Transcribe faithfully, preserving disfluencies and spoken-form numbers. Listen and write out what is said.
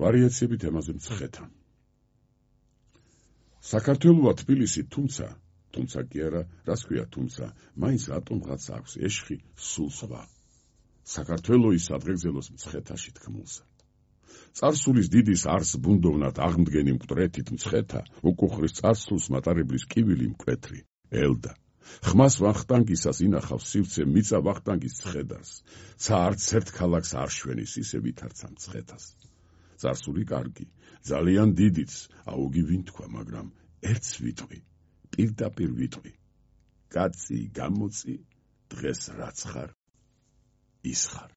ვარიაციები თემაზე მცხეთა. საქართველოა თბილისი, თუმცა, თუმცა კი არა, რას ქვია თუმცა, მაინც რატომღაც აქვს ეშხი სულ სხვა. საქართველოის სადღეგრძელოს მცხეთაში თქმულსა. წარსულის დიდის არს ბუნდოვნად აღმდგენი მკვდრეთით მცხეთა, უკუხრის წარსულს მატარებლის კივილი მკვეთრი, ელდა. ხმას ვახტანგისას ინახავს სივცე მიწა ვახტანგის ცხედარს, ცა არც ერთ ქალაქს არ შვენის ისე ვითარცა მცხეთას. წარსული კარგი, ძალიან დიდიც, აუგი ვინ თქვა, მაგრამ ერთს ვიტყვი, პირდაპირ ვიტყვი. კაცი, გამოწი, დღეს რაც ხარ, ის ხარ.